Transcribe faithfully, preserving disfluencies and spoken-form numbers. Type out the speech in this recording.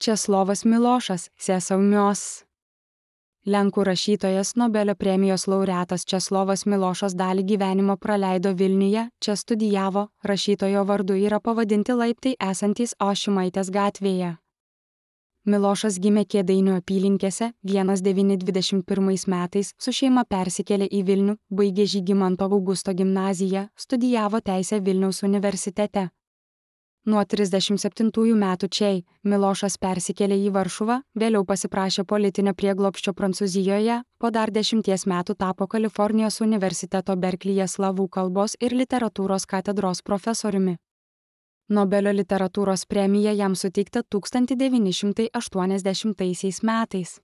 Česlovas Milošas, Sėsaumios. Lenkų rašytojas Nobelio premijos laureatas Česlovas Milošas dalį gyvenimo praleido Vilniuje, čia studijavo, rašytojo vardu yra pavadinti laiptai esantys Ošimaitės gatvėje. Milošas gimė Kėdainių apylinkėse, vienas devyni dvidešimt pirmais metais, su šeima persikėlė į Vilnių, baigė Žygimanto Augusto gimnaziją, studijavo teisę Vilniaus universitete. Nuo trisdešimt septintųjų metų čia Milošas persikėlė į Varšuvą, vėliau pasiprašė politinio prieglobsčio Prancūzijoje, po dar dešimties metų tapo Kalifornijos universiteto Berklyje slavų kalbos ir literatūros katedros profesoriumi. Nobelio literatūros premija jam suteikta tūkstantis devyni šimtai aštuoniasdešimtaisiais metais.